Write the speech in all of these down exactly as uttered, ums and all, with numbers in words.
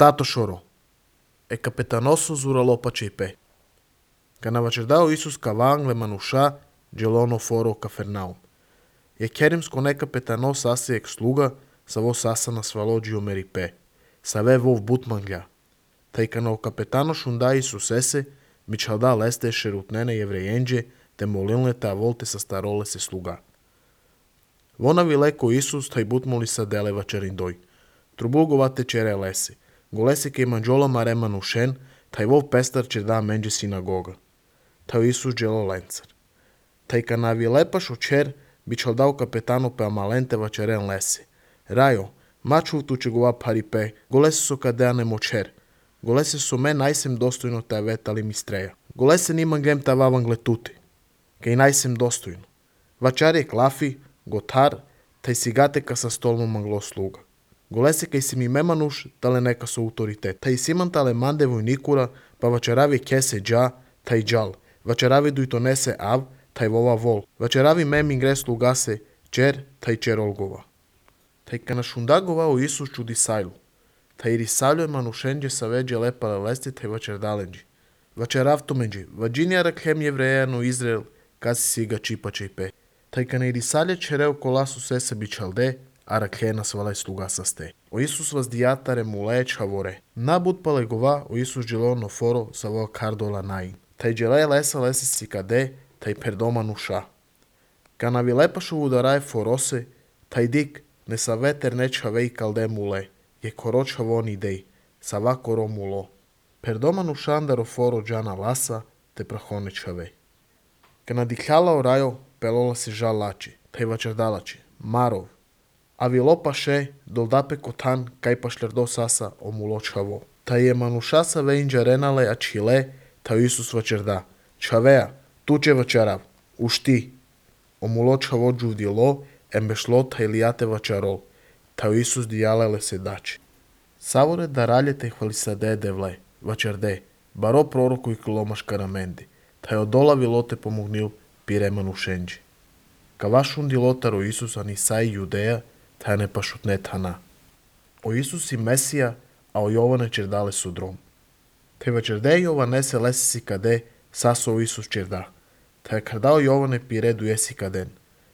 Tato chorou. E capetanoso zuralou pacipe. Canavacerdao Isus cavang le manusha gelono foro Cafarnaum. E querims cone capetano sasi ex sluga savo sasa na svalogio meripe. Save vov butmangля. Taj cano capetano shunda Isus ese, mičalda leste šerutnene jevrejenđe, te molilne ta volte sa starole se sluga. Vona vileko Isus taj butmoli sa deleva čerindoj. Trubulgovate čere lese. Golese ke manđola marema nušen, taj vov pestar će da menđe sinagoga. Taj Isus dželo lencar. Taj kana vilepaš očer, bičaldao kapetano pe amalente vačeren lese. Rajo, maču tu će gova paripe, golese su kadeane močer. Golese su me najsem dostojno te vetali mistreja. Golese niman gem ta vavangle tuti. Kaj najsem dostojno. Vačar je klafi, gotar, taj sigate ka sa stolno manglo sluga. Golese kaj si mi memanuš, tale neka su autoritet. Taj siman tale mande vojnikura, pa vačaravi kese dža, taj džal. Vačaravi duj to nese av, taj vova vol. Vačaravi mem ingre slugase, čer, taj čer olgova. Taj kana šundagova o Isus čudi sajlu. Taj risaljo je manušenđe sa veđe lepale lesti, taj vačer dalenđi. Vačerav to menđi, vađinja rakhem jevrejanu Izrael, kasi si ga čipače i pe. Taj kana i risalje čereo kolasu sese bičalde, a rakhena svalaj sluga sa ste. O Isus vas dijatare mule čavore. Nabud pale gova o Isus dželo foro sa vo kardola nain. Taj džele lesa lesi si kade, taj perdoma nuša. Kana vi lepašu udaraje forose, taj dik ne sa veter neća vej kalde mule, je koroča von idej, sa va koro mulo. Perdoma nušandaro foro džana lasa, te prahone čave. Kana dikljala o rajo, pelola se žal lači, taj vačardalači, marov. A vi lopaše, doldape kotan, kaj pa šlerdo sasa o mulo čavo. Taj je manuša sa vejnđa renale a čile, taj Isus vačarda. Čavea, tu će vačarav, ušti. O mulo čavo džuvdilo, embešlo taj lijate vačarol. Taj Isus dijalele se dači. Savore da raljete hvalisade devle, vačarde, baro proroku i kilomaš karamendi. Taj odola vilote pomognil pire manušenđi. Kavašun dilotaro Isus ani saj judeja, taj ne pašutnet hana. O Isus i Mesija, a o Jovane čerdale su drom. Te vačarde Jovane se lesi si kade, saso o Isus čerda. Te kardao Jovane piredu jesi kaden.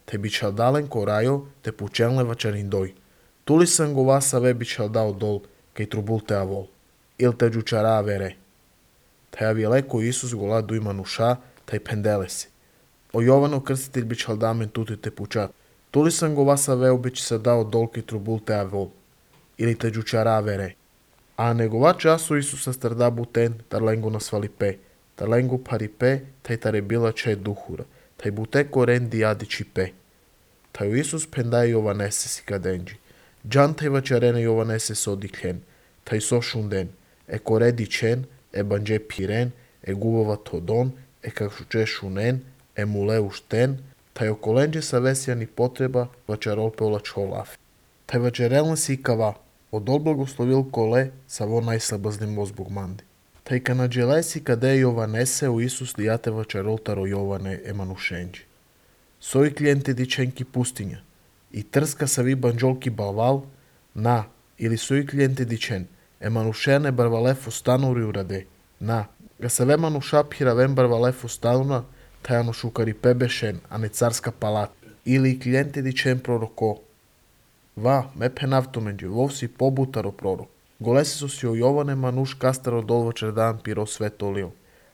Te bičaldalen ko rajo, te pučenle vačarindoj. Tuli sam go vasa ve bičaldao dol, kaj trubul te avol. Il te džučara vere. Te avileko Isus gola duj manuša, taj pendele si. O Jovano krstitelj bičaldamen tuti te pučat. Tuli sam go vasa veo bić se dao dol, kaj trubul te avol. Ili te džučara vere. A negova času Isusa strda buten, tar lengu nasvalipe. Tar lengu paripe, taj tare bila če duhura. Taj bute koren diadi čipe. Taj Isus pendaje Jovanese si kadenđi. Džan taj vačarene Jovanese sodiklen. Taj so šunden. E kore dičen, e banđe piren, e gubova todon, e kakšuče šunen, e mule ušten, taj okolenđe sa vesijani potreba vačarol peola čolafi. Taj vačarelne si kava, odol blagoslovil kole sa vo najslabaznim ozbog mandi. Taj kanadžele si kade Jovanese u Isus lijate vačarol taro Jovane emanušenđi. Soji klijente dičenki pustinja, i trska sa vi banđolki balval, na, ili soji klijente dičen, emanušene barvalefo stanuri urade, na, ga sa ve manuša piravem barvalefo stanuna, taj anušukari pebešen, a ne carska palat, ili klijente dičen proroko. Va, me penavtomenđe, vov si pobutaro prorok. Golesi su si o Jovane manuš kastaro dolvačer dan piro svetolio.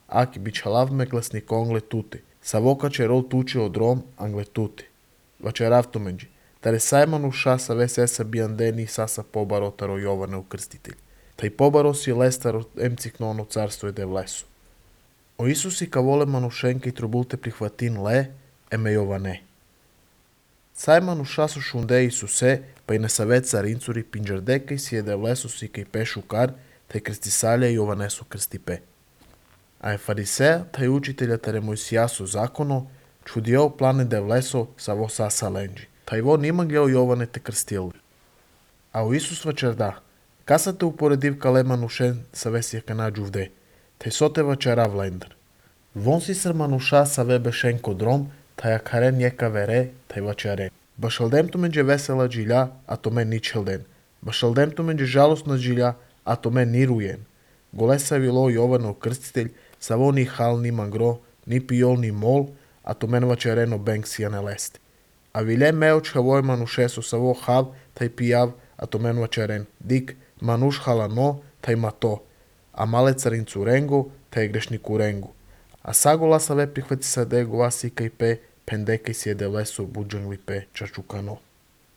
Aki bičalav me glasnik ongle tuti. Sa voka će rol tuči od rom angle tuti. Vačerav tomenđi. Tare saj manuša sa ve sesa bijandeni sasa pobaro taro Jovane ukrstitelj. Taj pobaro si lestaro emciknono carstvo je devlesu. O Isusi ka vole manušenke i trubulte prihvatin le, eme Jovane. Saj manuša su šunde Isuse, pa i na savet carincuri pinđardeka i si je devlesu si kaj pešu kar, taj krstisalja i Jovanesu krstipe. A je fariseja, taj učitelja tare Mojsijasu zakono, čudio plane devleso sa vo sasa lenđi. Taj vo nima gljeo Jovane te krstili. A o Isus vačarda, kasa te uporediv kale manušen sa vesija kanađu vde, taj sote vačara vlendar. Von si sr manuša sa ve bešen kodrom, taj akaren jeka vere, taj vačare. Bašaldem to menđe vesela džilja, a to men nič helden. Bašaldem to menđe žalostna džilja, а то мен нируен. Голеса вило Јовано Крститель, саво ни хал ни мангро, ни пиол ни мол, а то мен вачерено бенксија не лести. А виле меоч хавој манушесо саво хав, тај пијав, а то мен вачерен. Дик, мануш халано, тај мато, а мале царин цуренго, тај грешни куренго. А сагола саве прихвати саде гласи кај пе, пендекај си еде лесо буджангли пе, чачукано.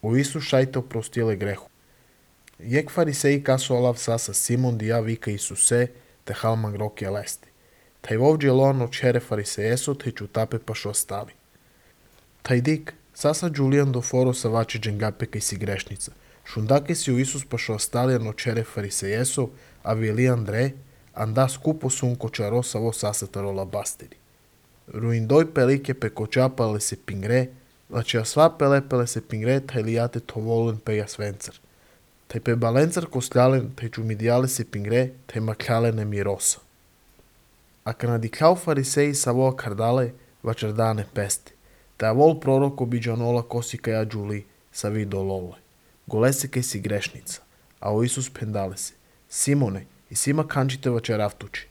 У Исус шајте опростиле греху. Јек фарисеи касо алав саса Симон дија вика Исусе, те халман гроке лести. Тај вовџе лоан очере фарисеесот и чутапе па шо стали. Тај дик, саса Джулијан до форо са ваче дженгапе кај си грешница. Шундаке си у Исус па шо сталијан очере фарисеесо, а вели Андре, анда скупо сунко чаро саво сасетаро лабастери. Руиндој пелике пе кочапале се пингре, лаче сва пелепеле се пингре, тај лијате товолен пе ја свенцар. Тај пе баленцар кослялен, тај чумидијале се пингре, тај маклялен мироса. А канадикляу фарисеи саво кардале, вачердане песте. Тај вол пророк обиджанола коси каја Джули, са видо лоле. Голесе кај си грешница, а о Исус пендале се. Симоне, и сима канчите вачеравтучи.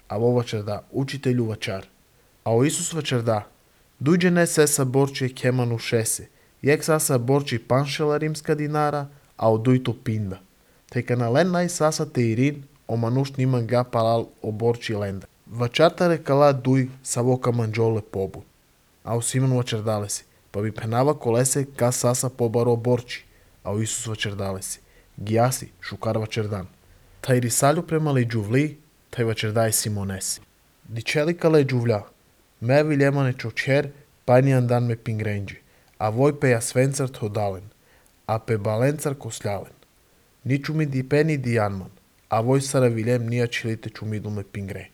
А во вачерда, учителю вачар. А о Исус вачерда, дујđе не се са борче кеману шесе, јек са са борчи паншела римска динара, а одујто пинда. Тека на лен нај саса те ирин, о мануш нима га палал о борчи ленда. Вачарта рекала дуј са во каманджоле побу. А о Симон вачердале си, па би пенава колесе ка саса побаро борчи. А о Исус вачердале си, гиаси, шукар вачердан. Тај рисалю премали джувли, тај вачердај Симонеси. Дичели кале джувля, ме вилемане чочер, пајни андан ме пингренджи, а вој пе ја свенцар тодален, а пе баленцар кослялен. Ни чуми ди пени ди јанман, а вој сара вилем нија челите чумиду ме пингре.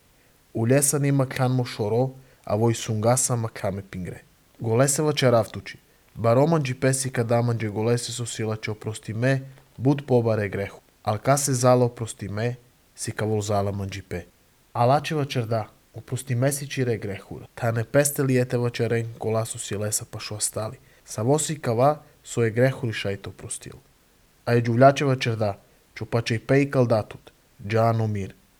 Улеса ни макан мо шоро, а вој сунгаса макан ме пингре. Голесе вачеравтучи, бароман джи песи кадаман джи голесе со сила че опрости ме, буд побаре греху. Алка се зала опрости ме, си кавол зала манджипе. Алаче вачерда, опрости ме си чире грехура. Та не песте ли ете вачерен кола со силеса па шо остали. Саво си кава со е грехури шајто опростил. А е джувляче вачерда, чупаче и пе и калдатут, джано мир.